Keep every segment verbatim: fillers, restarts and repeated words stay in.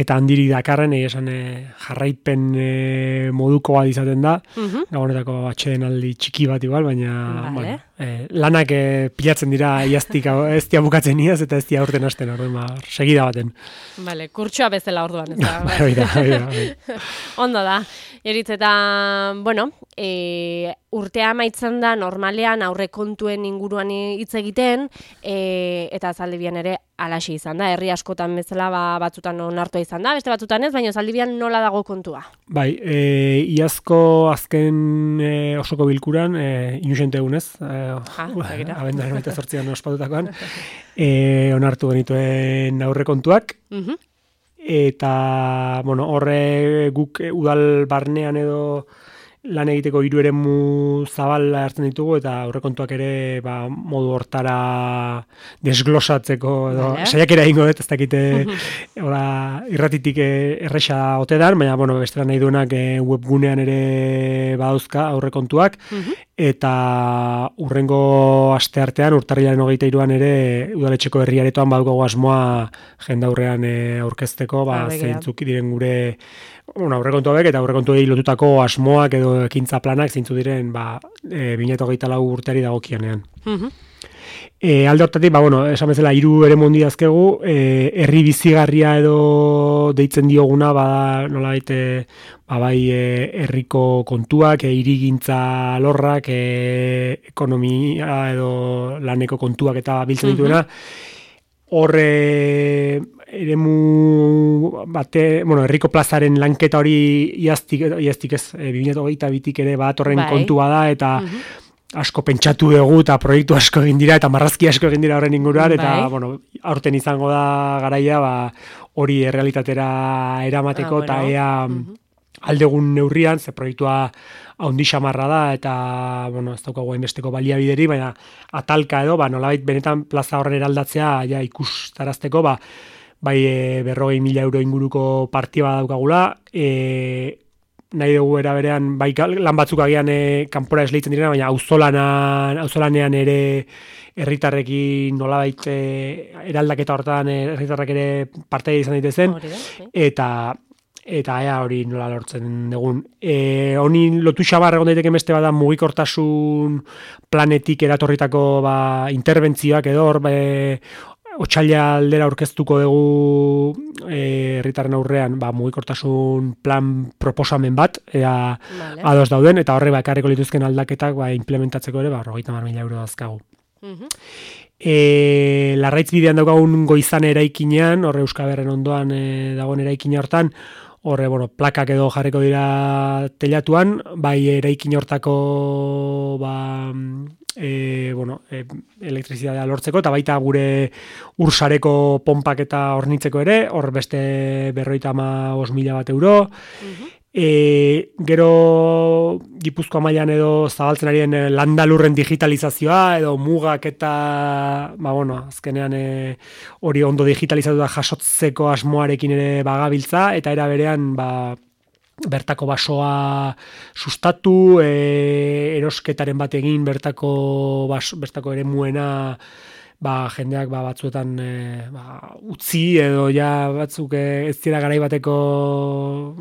eta handirik dakarren, esan e, jarraipen e, moduko bat izaten da, Mhm. gabonetako atxeden aldi txiki bat igual, baina Vale. bueno, e, lanak e, pilatzen dira iaztik ez dia bukatzen iaz eta ez dia urten hasten, orduan ba, segida baten. Vale, kurtsoa bezala orduan, ez da. Hori da, hori da, hori da. Ondo da. Eritz eta, bueno, e, urtea amaitzen da normalean aurrekontuen inguruan hitz egiten, e, eta zaldibian ere alaxe izan da. Herri askotan bezala ba, batzutan onartua izan da, beste batzutan ez, baina zaldibian nola dago kontua? Bai, e, iazko azken e, osoko bilkuran, e, inusente egunez, e, begira. abenduaren hogeita zortzian ospatutakoan, e, onartu genituen aurrekontuak, Mhm. eta, bueno, horre guk udal barnean edo lan egiteko hiru eremu zabal hartzen ditugu, eta aurrekontuak ere ba, modu hortara desglosatzeko, edo Vale. saiakera egingo dut, ez dakite ora, irratitik eh, erresa ote dan, baina bueno, bestela nahi duenak eh, webgunean ere badauzka aurrekontuak, Mhm. eta urrengo asteartean, urtarrilaren hogeita hiruan ere udaletxeko herriaretoan badukagu asmoa jendaurrean e, aurkezteko, ba, Ah, begira. zeintzuk diren gure bueno, aurrekontu hauek eta aurrekontuei lotutako asmoak edo ekintza planak zeintzu diren ba, e, bi mila hogeita lau urteari dagokionean. Mhm. E, alde hortatik, ba, bueno, esan bezala, hiru ere mondi dazkegu, e, herri bizigarria edo deitzen dioguna, ba, nola baite, ba, bai, e, herriko kontuak, e, hirigintza lorrak, e, ekonomia edo laneko kontuak eta biltzen dituena, horre eremu bate, bueno, herriko plazaren lanketa hori iaztik, iaztik ez, e, bi mila hogeita bitik ere bat horren Bai. kontua da, eta Mhm. asko pentsatu dugu eta proiektu asko egin dira eta marrazki asko egin dira horren inguruan, eta Bai. bueno, aurten izango da garaia ba, hori errealitatera eramateko, Ah, eta bueno. ea Mhm. aldegun neurrian, ze proiektua haundi xamarra da, eta bueno, ez daukagu hainbesteko baliabideri, baina atalka edo, ba, nolabait benetan plaza horren eraldatzea ja ikustarazteko, ba, bai e, berrogei mila euro inguruko partida daukagula, e, nahi dugu era berean, bai lan batzuk agian e, kanpora esleitzen direna, baina auzolanan, auzolanean ere herritarrekin nolabait e, eraldaketa hortan e, herritarrek ere partaide izan daitezen, Hori da, bai. eta eta ea hori nola lortzen dugun. E, honi lotu xabar egon daiteke beste bada mugikortasun planetik eratorritako ba, interbentzioak edo hor be, otsaila aldera aurkeztuko dugu e, herritarren aurrean ba, mugikortasun plan proposamen bat ea Vale. ados dauden, eta horre ba, ekarriko lituzken aldaketak ba, implementatzeko ere ba, hogeita hamar mila euro dazkagu. Mhm. E, Larraitz bidean daukagun Goizan eraikinean, horre Euskaberren ondoan e, dagoen eraikina hortan, horre, bueno, plakak edo jarriko dira telatuan, bai eraikin hortako ba, e, bueno, e, elektrizitatea lortzeko, eta baita gure ursareko pompak eta hornitzeko ere, hor beste berroita hamabost mila bat euro, Mhm. E, gero Gipuzkoa mailan edo zabaltzen arien e, landalurren digitalizazioa edo mugak eta ba, bueno, azkenean e, hori ondo digitalizatu da jasotzeko asmoarekin ere bagabiltza, eta era berean ba, bertako basoa sustatu, e, erosketaren bat egin bertako, bas, bertako ere muena ba, jendeak ba, batzuetan e, ba, utzi edo ja batzuk e, ez dira garai bateko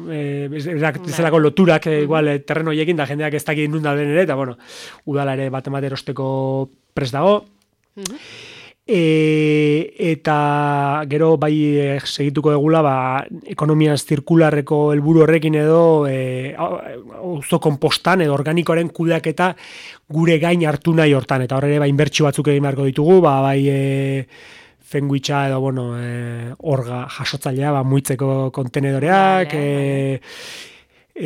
e, bezalako loturak e, igual e, terreno horiekin da jendeak ez dakit nun dauden ere, eta bueno, udala ere bat emate erosteko prest dago. Mhm. E, eta gero bai e, segituko degula ba, ekonomia zirkularreko helburu horrekin edo e, auzo konpostan edo organikoaren kudeaketa gure gain hartu nahi hortan, eta horre bai inbertsio batzuk egin beharko ditugu, ba, bai e, fenguitxa edo bueno, e, orga jasotzailea ba, muitzeko kontenedoreak, Vale, e,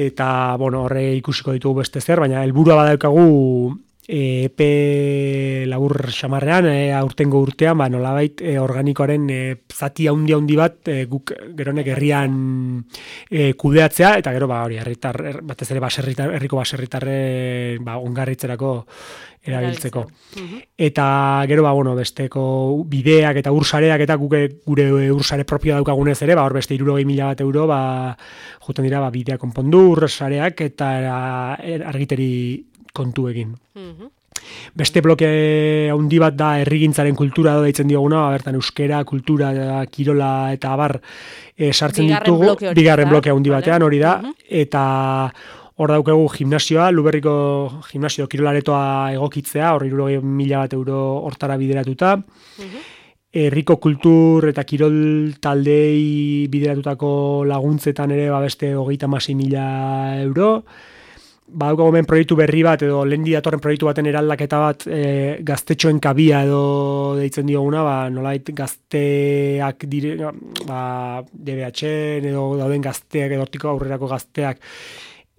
eta bueno, horre ikusiko ditugu beste zer, baina helburua badaukagu E, epe labur xamarrean, e, aurtengo urtean, ba, nolabait e, organikoaren e, zati haundi haundi bat e, guk geronek herrian e, kudeatzea, eta gero ba, hori herritar, er, batez ere baserritar, herriko baserritarre ba, ongarritzerako erabiltzeko. Mhm. Eta gero ba, bueno, besteko bideak eta ursareak eta guk gure ursare propioa daukagunez ere, ba, hor beste hirurogei mila bat euro ba, juten dira ba, bideak konpondu, ursareak eta er, argiteri kontu egin. Mhm. Beste bloke handi bat da herrigintzaren kultura edo deitzen dioguna, bertan euskera, kultura, kirola eta abar e, sartzen bigarren ditugu, bloke hori bigarren da, bloke handi vale. batean hori da, Mhm. eta hor daukagu gimnasioa, Luberriko gimnasio kirolaretoa egokitzea, hor hirurogei mila bat euro hortara bideratuta, Mhm. herriko kultur eta kirol taldei bideratutako laguntzetan ere ba beste hogeita hamasei mila euro. Badaukagu hemen proiektu berri bat edo lehendi datorren proiektu baten eraldaketa bat e, gaztetxoen kabia edo deitzen dioguna, ba, nolait gazteak dire, ba, D B H-en edo dauden gazteak edo hortiko aurrerako gazteak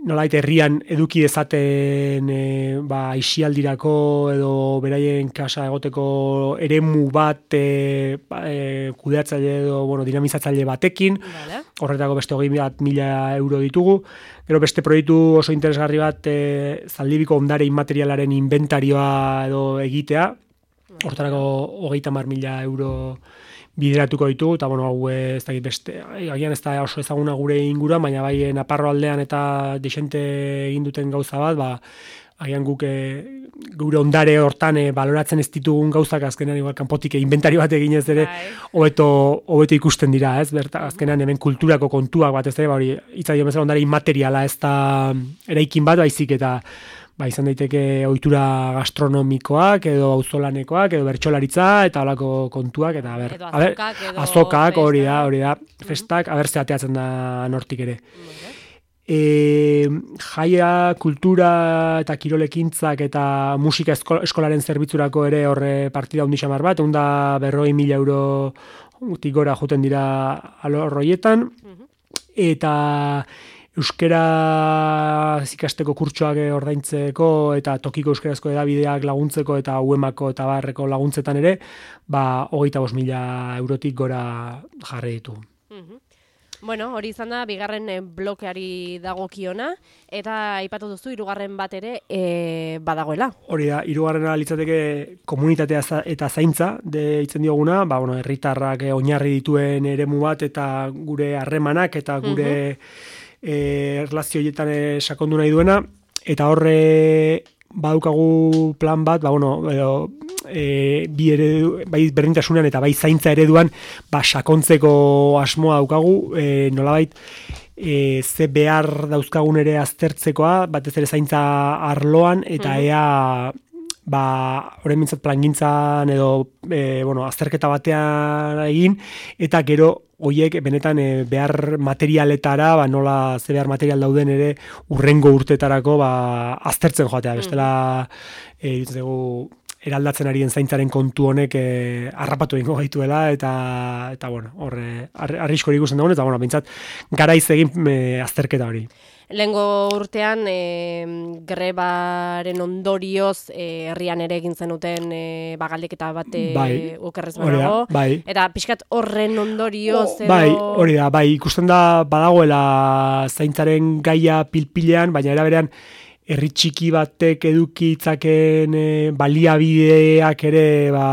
nolait herrian eduki dezaten e, ba, aisialdirako edo beraien kasa egoteko eremu bat e, ba, e, kudeatzaile edo bueno, dinamizatzaile batekin, Vale. horretako beste hogei bat mila euro ditugu. Gero beste proiektu oso interesgarri bat e, Zaldibiko ondare inmaterialaren inventarioa edo egitea, hortarako hogeita hamar mila euro bideratuko ditugu, eta bueno, hau ez dakit beste, agian ez da oso ezaguna gure inguruan, baina bai Naparro aldean eta desente egin duten gauza bat, ba, agian guk e, gure ondare hortan e, baloratzen ez ditugun gauzak azkenean igual kanpotik e, inventario bat eginez ere hobeto hobeto ikusten dira, ez? Berta azkenean hemen kulturako kontuak bat ez ere, ba hori hitza dio bezala ondare inmateriala, ez da eraikin bat baizik eta ba, izan daiteke ohitura gastronomikoak edo auzolanekoak edo bertsolaritza eta holako kontuak eta ber, Edo a ber, azokak, edo azokak hori da, festa. hori da, festak, aber ze ateatzen da nortik ere. E, jaia, kultura eta kirolekintzak eta musika esko, eskolaren zerbitzurako ere horre partida handi xamar bat, egun da berroi mila euro gora joten dira alor horietan, eta euskera ikasteko kurtsoak ordaintzeko eta tokiko euskarazko edabideak laguntzeko eta U E M ako eta barreko laguntzetan ere, ba, hogeita bost mila eurotik gora jarri ditu. Bueno, hori izan da, bigarren eh, blokeari dagokiona, eta aipatu duzu, hirugarren bat ere e, badagoela. Hori da, hirugarrena litzateke komunitatea za- eta zaintza deitzen dioguna, ba, bueno, herritarrak eh, oinarri dituen eremu bat eta gure harremanak eta gure eh, erlazio horietan eh, sakondu nahi duena, eta horre badukagu plan bat, ba, bueno, edo, e, bi eredu, bai berdintasunean eta bai zaintza ereduan, ba, sakontzeko asmoa daukagu, e, nolabait, e, ze behar dauzkagun ere aztertzekoa, batez ere zaintza arloan, eta ea, ba, orain mintzat plangintzan edo, e, bueno, azterketa batean egin, eta gero, hoiek benetan e, behar materialetara, ba, nola ze behar material dauden ere urrengo urtetarako ba, aztertzen joatea. Bestela, e, ditzegu, eraldatzen arien zaintzaren kontu honek e, harrapatu egingo gaituela, eta, eta bueno, horre, arriskori ikusten dagoen, eta bueno, bintzat, garaiz egin e, azterketa hori. Lehengo urtean e, grebaren ondorioz e, herrian ere egin zenuten e, bagaldeketa bat e, Bai, okerrez hori da, banago. bai. Eta pixkat horren ondorioz edo... Bai, hori da, bai, ikusten da badagoela zaintzaren gaia pilpilean, baina era berean herri txiki batek edukitzaken e, baliabideak ere ba,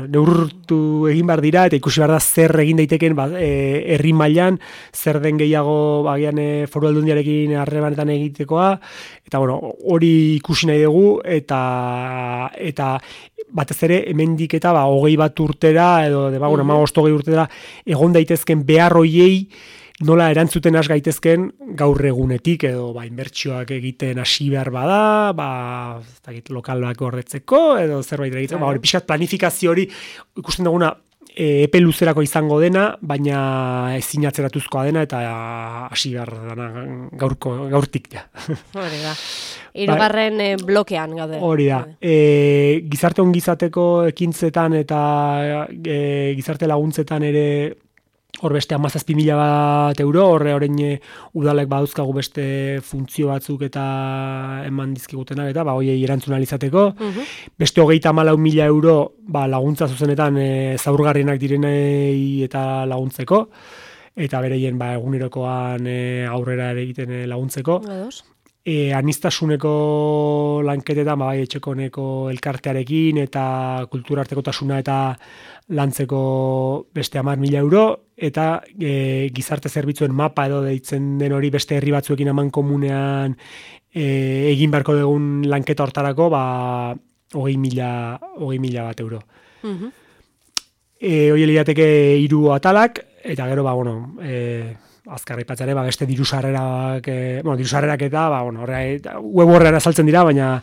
neurtu egin behar dira, eta ikusi behar da zer egin daiteken ba, e, herri mailan, zer den gehiago bagian e, foru aldundiarekin harremanetan egitekoa, eta bueno, hori ikusi nahi dugu, eta eta batez ere hemendik eta ba, hogei bat urtera, edo de, ba, bueno, hamabost hogei urtera, egon daitezken behar hoiei, nola erantzuten has gaitezken gaur egunetik edo ba inbertsioak egiten hasi behar bada, ba ez dakit lokalak gordetzeko edo zerbait egiten, ba hori pixkat planifikazio hori ikusten duguna e, epe luzerako izango dena, baina ezin atzeratuzkoa dena eta hasi behar dena gaurko gaurtik ja. Hori da. Hirugarren e, blokean gaude. Hori da. E, gizarte ongizateko ekintzetan eta e, gizarte laguntzetan ere hor beste hamazazpi mila bat euro, horre orain udalek badauzkagu beste funtzio batzuk eta eman dizkigutenak eta ba hoiei erantzun ahal izateko. Beste hogeita hamalau mila euro ba, laguntza zuzenetan e, zaurgarrienak direnei eta laguntzeko, eta bereien ba, egunerokoan e, aurrera ere egiten e, laguntzeko. Ados. e, anistasuneko lanketetan, bai etxekoneko elkartearekin eta kulturartekotasuna eta lantzeko beste hamar mila euro, eta e, gizarte zerbitzuen mapa edo deitzen den hori beste herri batzuekin aman komunean e, egin beharko dugun lanketa hortarako, ba, hogei mila, hogei mila bat euro. Mhm. E, hori lirateke hiru atalak, eta gero, ba, bueno, e, azkarra ipatzare, ba, beste diru sarrerak, e, bueno, diru sarrerak eta, ba, bueno, horre, web horrean azaltzen dira, baina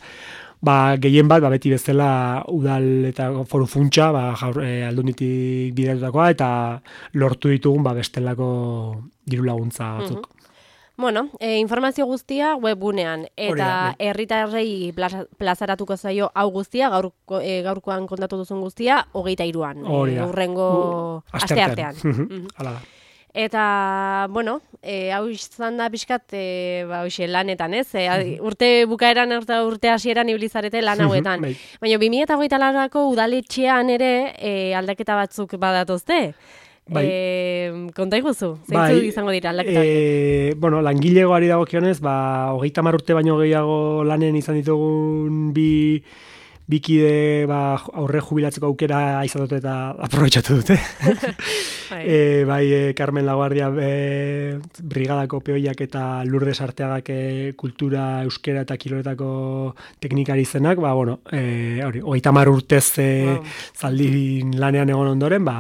ba, gehien bat, ba, beti bezala udal eta foru funtsa, ba, jaur, e, aldunditik bideratutakoa, eta lortu ditugun, ba, bestelako diru laguntza batzuk. Mhm. Bueno, e, informazio guztia webgunean, eta herritarrei plaza, plazaratuko zaio hau guztia, gaur, e, gaurkoan kontatu duzun guztia, hogeita iruan, e, urrengo uh, aste artean. Mhm. Hala da. Eta, bueno, e, hau izan da pixkat, e, ba, hoxe, lanetan, ez? E, urte bukaeran eta urte hasieran ibilizarete lan hauetan. Baina, bi mila hogeita laurako udaletxean ere e, aldaketa batzuk badatozte. Bai. E, konta iguzu, zeintzu bai, izango dira aldaketak? E, bueno, langilegoari dagokionez, ba, hogeita hamar urte baino gehiago lanen izan ditugun bi bikide ba, aurre jubilatzeko aukera izan dute eta aprobetxatu dute. bai. E, bai, e, Carmen Laguardia e, brigadako peoiak eta Lourdes Arteagak e, kultura, euskera eta kiloretako teknikari izenak, ba, bueno, e, hori, hogeita hamar urtez e, wow. zaldin lanean egon ondoren, ba,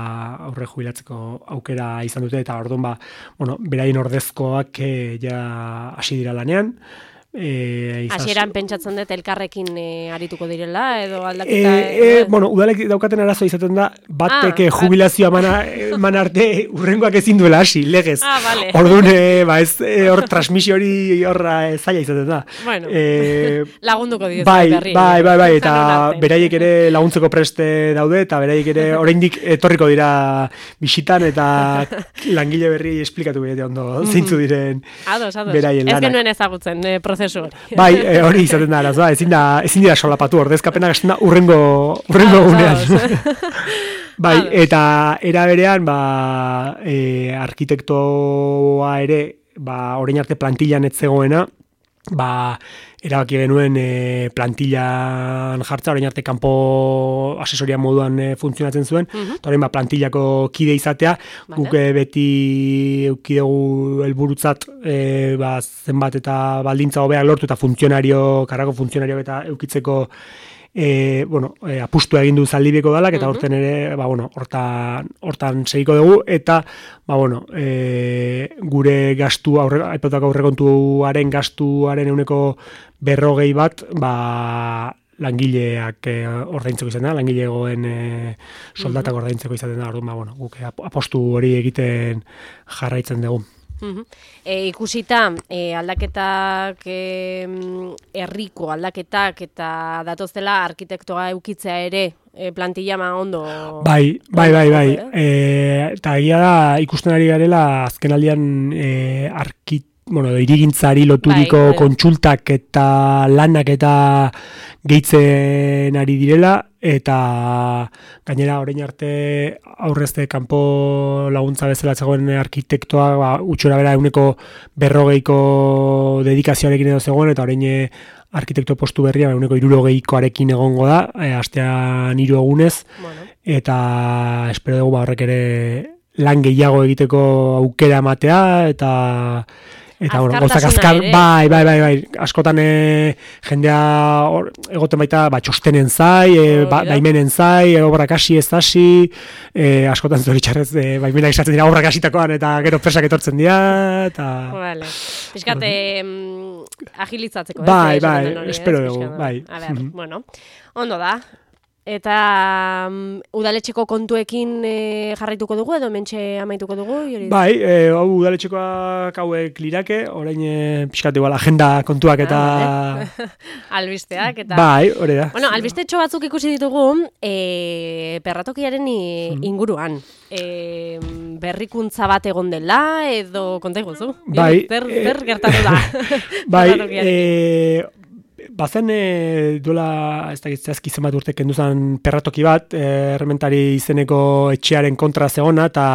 aurre jubilatzeko aukera izan dute, eta orduan, ba, bueno, beraien ordezkoak e, ja hasi dira lanean. E, Hasieran pentsatzen dut elkarrekin e, arituko direla edo aldaketa... E, e, bueno, udalek daukaten arazoa izaten da, batek ah, jubilazioa mana, man arte urrengoak ezin duela hasi, legez. Ah, vale. Orduan, e, ba, ez, e, hor transmisio hori horra e, zaila izaten da. Bueno, e, lagunduko dira bai, berri. Bai, bai, bai, eta beraiek ere laguntzeko preste daude, eta beraiek ere oraindik etorriko dira bisitan, eta langile berri esplikatu bide ondo zeintzu diren ados, ados. Beraien lanak. Ez genuen ezagutzen, e, prozesu. Bai, e, hori izaten da arazoa, ezin da, ezin dira solapatu, ordezkapena gasten da urrengo, urrengo gunean. Bai, eta era berean, ba, e, arkitektoa ere, ba, orain arte plantillan ez zegoena, ba, erabaki genuen e, plantillan jartza, orain arte kanpo asesoria moduan e, funtzionatzen zuen, eta uh-huh. orain ba, plantillako kide izatea, vale. Guk e, beti eukidegu helburutzat e, ba, zenbat eta baldintza hobeak lortu eta funtzionario, karrako funtzionario eta eukitzeko E, bueno, e, apustua egin du Zaldibiko dalak, eta horten ere, ba, bueno, hortan, hortan segiko dugu, eta, ba, bueno, e, gure gastu, aurre, aipatutako aurrekontuaren gastuaren euneko berrogei bat, ba, langileak e, ordaintzeko izaten da, langilegoen e, soldatak ordaintzeko izaten da, orduan, ba, bueno, guk apostu hori egiten jarraitzen dugu. Uh-huh. E, ikusita e, aldaketak e, herriko aldaketak eta datozela arkitektoa eukitzea ere e, plantilla ma ondo bai, bai, bai, bai. E, eta egia da ikusten ari garela azken aldian e, arkit bueno, irigintzari loturiko bai, kontsultak eta lanak eta gehitzen ari direla, eta gainera orain arte aurrezte kanpo laguntza bezala zegoen arkitektoa ba, utxora bera euneko berrogeiko dedikazioarekin edo zegoen, eta orain arkitekto postu berria euneko hirurogeikoarekin egongo da, e, astean hiru egunez, bueno. Eta espero dugu ba, horrek ere lan gehiago egiteko aukera ematea, eta eta bueno, gozak azkar, bai, bai, bai, bai, askotan e, jendea or, egoten baita ba, txostenen zai, e, ba, baimenen zai, e, obrak hasi ez hasi, e, askotan zoritxarrez e, baimenak izatzen dira obrak hasitakoan eta gero presak etortzen dira, eta... Vale. Piskat, eh, agilizatzeko. Bai, ez, bai, hori, espero dugu, bai. A ber, mm-hmm. Bueno, ondo da. Eta um, udaletxeko kontuekin e, jarraituko dugu edo mentxe amaituko dugu? Jori? Bai, e, hau udaletxekoak hauek lirake, orain e, pixkat igual agenda kontuak eta... Ah, albisteak eta... Bai, hori da. Bueno, albistetxo batzuk ikusi ditugu e, perratokiaren inguruan. E, berrikuntza bat egon dela edo konta iguzu? Bai. Zer, zer gertatu da? Bai, e, bazen e, duela, ez da gitzazki zenbat urte kendu zen perratoki bat, e, Errementari izeneko etxearen kontra zegona, eta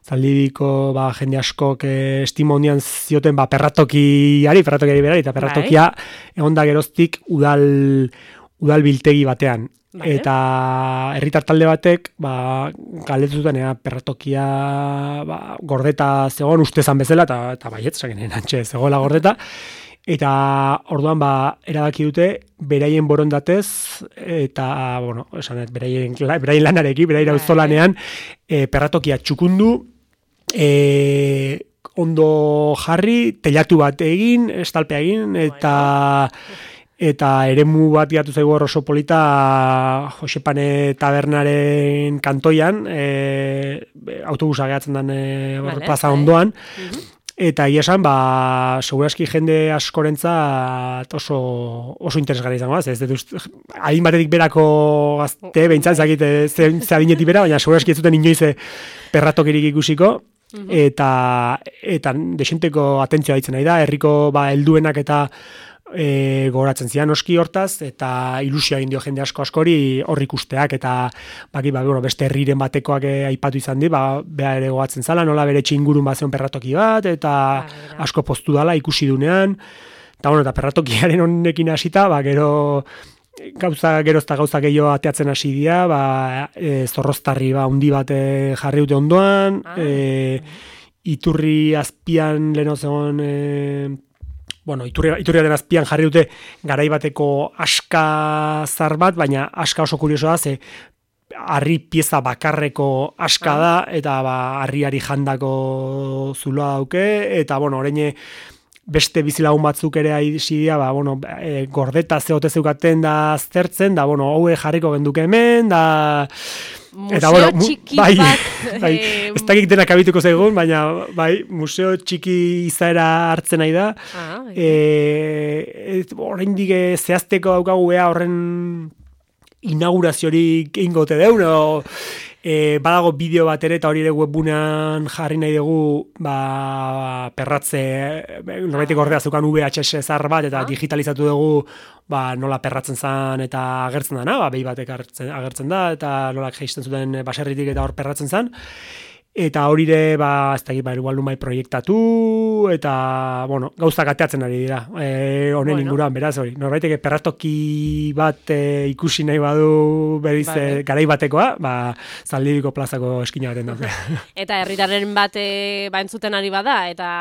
Zaldibiko ba, jende askok e, estimo hondian zioten ba, perratokiari, perratokiari berari, eta perratokia egon da geroztik udal, udal biltegi batean. Vale. Eta herritar talde batek ba, galdetu zuten ea, perratokia ba, gordeta zegoen ustezan bezala, eta, eta baiet, sakenen antxe zegoela gordeta, eta orduan ba, erabaki dute beraien borondatez, eta, bueno, esan dut, beraien, beraien lanarekin, beraien auzolanean, e, perratokia txukundu, e, ondo jarri, telatu bat egin, estalpea egin, eta... Eta eremu bat gatu zaigu oso polita Josepane tabernaren kantoian, e, autobusa gehatzen den e, vale, plaza ondoan, uh-huh. Eta ia esan, ba, seguraski jende askorentzat oso, oso interesgarri izango, ez dut, adin batetik berako gazte, behintzat, zakit, ze, ze adinetik bera, baina seguraski ez zuten inoiz perratokirik ikusiko, uh-huh. eta, eta desenteko atentzioa ditzen nahi da, herriko ba, helduenak eta E, gogoratzen zian oski hortaz, eta ilusioa egin dio jende asko askori hor ikusteak, eta baki, ba, bueno, beste herriren batekoak e, aipatu izan di, ba, beha ere gogatzen zala, nola bere txingurun bat zeon perratoki bat, eta ah, asko poztu dala ikusi dunean, eta bueno, eta perratokiaren honekin hasita, ba, gero gauza, gero eta gauza gehiago ateatzen hasi dira, ba, e, zorroztarri ba, undi bat e, jarri dute ondoan, ah, e, iturri azpian leheno zegoen e, bueno, iturria, iturria den azpian jarri dute garaibateko aska zar bat, baina aska oso kuriosoa da, ze harri pieza bakarreko aska da, eta ba, harriari jandako zuloa dauke, eta bueno, orain beste bizilagun batzuk ere aizidia, ba, bueno, e, gordeta zehote zeukaten da aztertzen, da, bueno, haue jarriko genduke hemen, da... Museo eta, bueno, txiki bai, bat. Bai, ez dakik denak abituko zaigun, baina bai, museo txiki izaera hartzen nahi da. Ah, bai. E, horrein dige zehazteko daukagu ea horren inauguraziorik ingote deun, o, e, badago bideo bat ere, eta hori ere webbunean jarri nahi dugu, ba, perratze, norbaitek ordea zukan V H S zar bat, eta ah. digitalizatu dugu, ba, nola perratzen zen eta agertzen dana, ba, behi batek agertzen, agertzen da, eta nola geisten zuten baserritik eta hor perratzen zen. Eta hori ere, ba, ez da, ba, igual numai proiektatu, eta, bueno, gauzak ateatzen ari dira, e, honen bueno. Inguruan, beraz, hori. Norbaiteke perratoki bat e, ikusi nahi badu, beriz, vale. Garai batekoa, ba, Zaldibiko plazako eskina baten dute. Eta herritarren bat e, ba, entzuten ari bada, eta,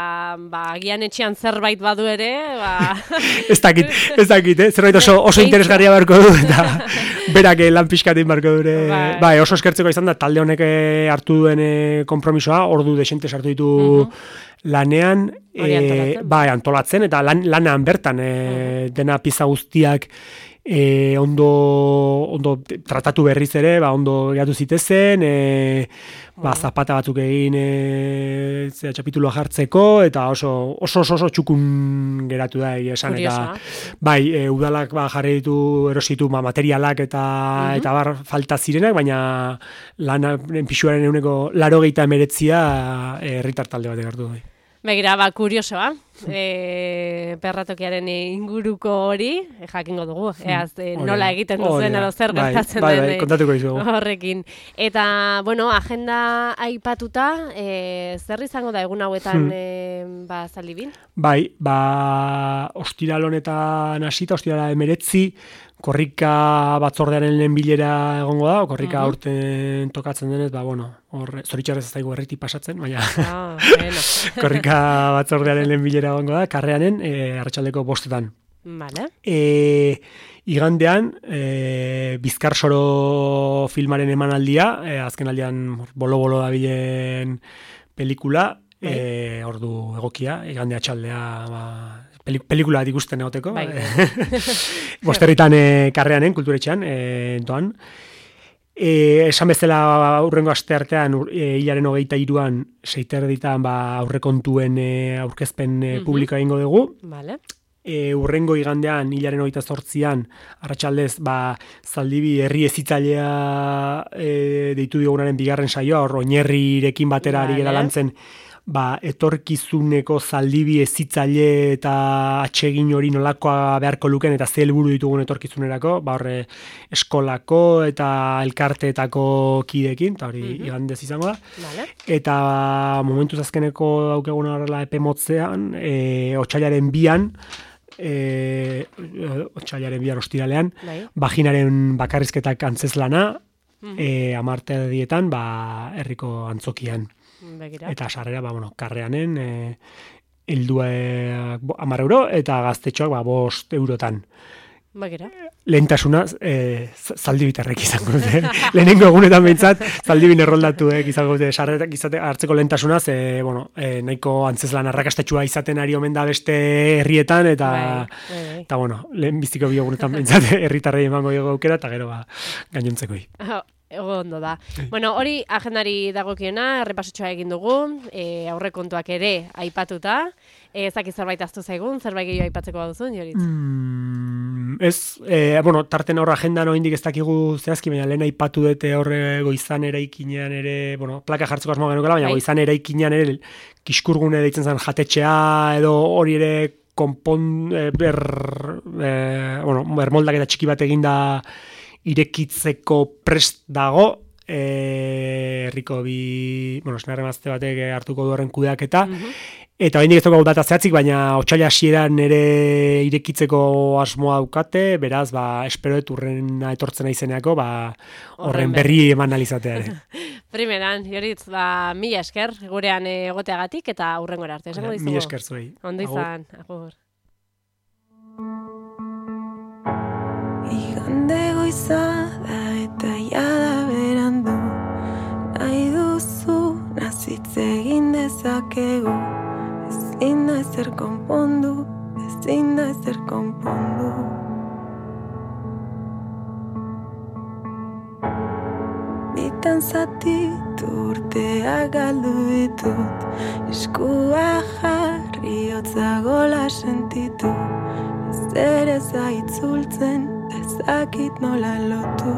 ba, agian etxean zerbait badu ere, ba... ez dakit, ez dakit, eh? Zerbait oso, oso interesgarria barko du, eta berak lan pixkatin barko dure. Bai. Ba, oso eskertzeko izan da, talde honek hartu duen konpromisoa, ordu desente sartu ditu uh-huh. lanean, e, bai, antolatzen, eta lan, lanean bertan, e, uh-huh. dena pieza guztiak e, ondo, ondo tratatu berriz ere, ba, ondo gehiatu zitezen, e, ba, zapata batzuk egin e, zera txapituloa jartzeko, eta oso oso oso, oso txukun geratu da esan, eta bai, e, udalak ba, jarri ditu erositu ba, materialak eta uh-huh. eta bar falta zirenak, baina lanaren pixuaren eguneko laro geita emeretzia herritar talde batek hartu bai. Begira, ba, kuriosoa, e, perratokiaren inguruko hori, e, jakingo dugu, eaz, e, nola egiten duzen edo zer gertatzen bai, den bai, kontatuko izugu. Horrekin. Eta, bueno, agenda aipatuta, e, zer izango da egun hauetan hmm. e, ba, Zaldibin? Bai, ba, ostiral honetan hasita, ostiral emeretzi, korrika batzordearen lehen bilera egongo da, korrika uh-huh. aurten tokatzen denez, ba, bueno, hor, zoritxarrez ez daigu erriti pasatzen, baina ah, bueno. korrika batzordearen lehen bilera egongo da, karreanen, e, arratsaldeko bostetan. Vale. E, igandean, e, Bizkarsoro filmaren emanaldia, e, azken aldean bolo-bolo dabilen pelikula, e, ordu egokia, igandea txaldea, ba, pelikula bat ikusten egoteko. Bai. Bosterritan e, karreanen, kulturetxean, e, doan. E, esan bezala aurrengo aste artean, e, hilaren hogeita iruan, seiterditan ba, aurrekontuen e, aurkezpen e, publikoa egingo dugu. Vale. E, urrengo igandean, hilaren hogeita zortzian, arratsaldez, ba, Zaldibi herri ezitzailea e, deitu diogunaren bigarren saioa, hor oinerrirekin batera ari gara lantzen, ba, etorkizuneko zaldibi ezitzaile eta atsegin hori nolakoa beharko luken eta ze helburu ditugun etorkizunerako, ba horre eskolako eta elkarteetako kidekin, eta hori mm-hmm. igandez izango da. Vale. Eta momentuz azkeneko daukeguna horrela epe motzean, e, otsailaren bian, e, otsailaren bian ostiralean, bai. Vaginaren bakarrizketak antzeslana, mm-hmm. e, amarte dietan, ba, herriko antzokian. Begira. Eta sarrera, ba, bueno, karreanen e, helduak hamar euro eta gaztetxoak ba, bost eurotan. Begira. Lehentasuna e, zaldibitarrek izango dute. Lehenengo egunetan behintzat zaldibin erroldatuek izango dute sarrerak izate hartzeko lehentasuna, ze, bueno, e, nahiko antzeslan arrakastetxua izaten ari omen da beste herrietan, eta, bai, bai, bai. eta bueno, lehen biztiko bi egunetan behintzat herritarrei emango dugu aukera, eta gero ba, gainontzekoi. Ego ondo da. Bueno, hori agendari dagokiena, errepasotxoa egin dugu, e, aurrekontuak ere aipatuta. Ez dakit zerbait aztu zaigun, zerbait gehiago aipatzeko baduzun, Joritz? Mm, ez, e, bueno, tarten horra agendan oindik ez dakigu zehazki, baina lehen aipatu dute horre goizan eraikinean ere, bueno, plaka jartzeko asmoa genukela, baina goizan eraikinean ere kiskurgune deitzen zen jatetxea edo hori ere konpon, e, ber, e, bueno, bermoldak eta txiki bat eginda irekitzeko prest dago, herriko e, bi, bueno, esnarre mazte batek hartuko du horren kudeaketa, mm-hmm. eta oraindik ez dago data zehatzik, baina otsaila hasieran ere irekitzeko asmoa daukate, beraz, ba, espero dut urrena etortzen naizeneako, ba, horren berri eman alizatea ere. Primeran, Joritz, ba, mila esker, gurean egoteagatik, eta urrengora arte, esango dizugu. Mila esker zuei. Ondo izan, agur. Igande goiza da eta jada berandu, nahi duzu nazitz egin dezakegu, ezin da ezer konpondu, ezin da ezer konpondu. Bitan zatitu urteak galdu ditut, eskua jarri hotza gola sentitu, ez ere zaitzultzen, ezakit nola lotu.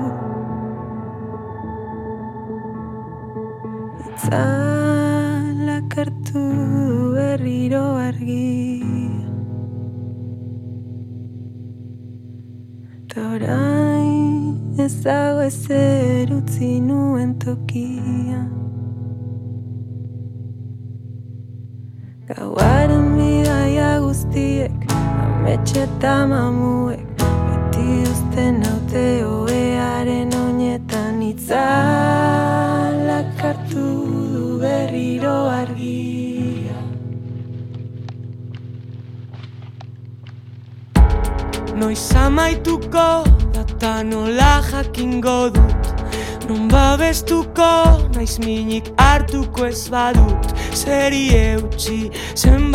Itzalak hartu du berriro argia, eta orain ez dago ezer utzi nuen tokia. Gauaren bidaia guztiek, ametxe eta mamuek, uzten haute oearen oinetan itzalak hartu du berriro argia. Noiz amaituko data nola jakingo dut, non babestuko naiz minik hartuko ez badut, zeri eutxi zen